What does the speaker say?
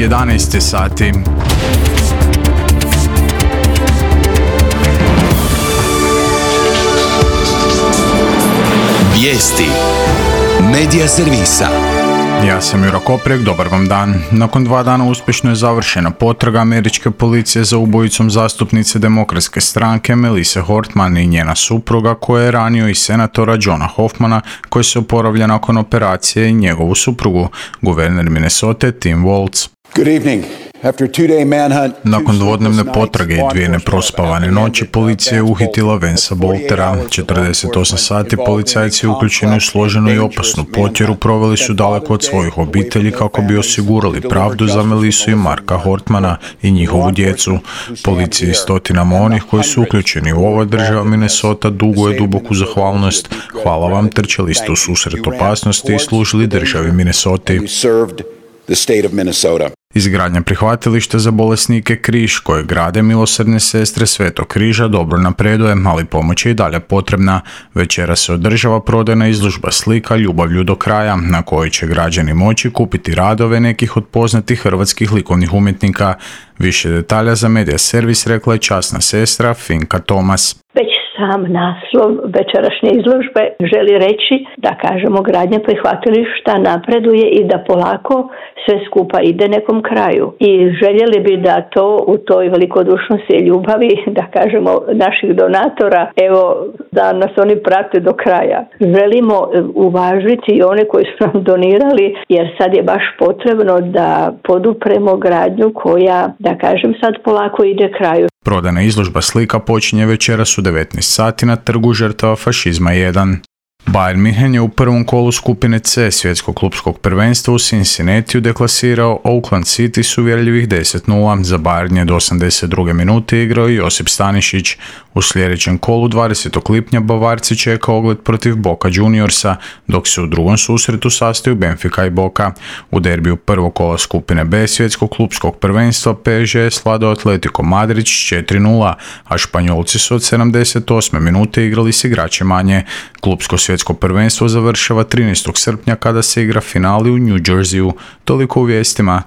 11 sati. Vijesti Medija servisa. Ja sam Juro Koprek, dobar vam dan. Nakon 2 dana uspješno je završena potraga američke policije za ubojicom zastupnice Demokratske stranke Melisse Hortman i njena supruga, koja je ranio i senatora Johna Hoffmana, koji se oporavlja nakon operacije, i njegovu suprugu, guverner Minnesote Tim Walz. Good evening. Nakon dvodnevne potrage i 2 neprospavane noći, policija je uhitila Vansa Boltera. 48 sati policajci uključeni u složenu i opasnu potjeru proveli su daleko od svojih obitelji kako bi osigurali pravdu za Melissu i Marka Hortmana i njihovu djecu. Policiji i stotinama onih koji su uključeni u ovoj država Minnesota duguje duboku zahvalnost. Hvala vam, trčali ste u susret opasnosti i služili državi Minnesoti. Izgradnja prihvatilišta za bolesnike Križ, koje grade milosrdne sestre Svetog Križa, dobro napreduje, ali pomoć je i dalje potrebna. Večera se održava prodajna izložba slika Ljubavlju do kraja, na kojoj će građani moći kupiti radove nekih od poznatih hrvatskih likovnih umjetnika. Više detalja za Medija servis rekla je časna sestra Finka Tomas. Sam naslov večerašnje izložbe želi reći da, kažemo, gradnja prihvatilišta napreduje i da polako sve skupa ide nekom kraju. I željeli bi da to u toj velikodušnosti i ljubavi, da kažemo, naših donatora, evo, da nas oni prate do kraja. Želimo uvažiti i one koji su nam donirali, jer sad je baš potrebno da podupremo gradnju koja, da kažem, sad polako ide kraju. Prodana izložba slika počinje večeras u 19 sati na trgu žrtava fašizma 1. Bayern München je u prvom kolu skupine C svjetskog klupskog prvenstva u Cincinnatiju deklasirao Oakland City s uvjerljivih 10-0. Za Bayern je do 82. minute igrao Josip Stanišić. U sljedećem kolu 20. lipnja Bavarci čeka ogled protiv Boca Juniorsa, dok se u drugom susretu sastaju Benfica i Boca. U derbiju prvog kola skupine B svjetskog klupskog prvenstva PSG je svladao Atletico Madrid s 4-0, a Španjolci su od 78. minute igrali s igračem manje. Klupsko svjetsko prvenstvo završava 13. srpnja kada se igra finali u New Jerseyu. Toliko u vijestima.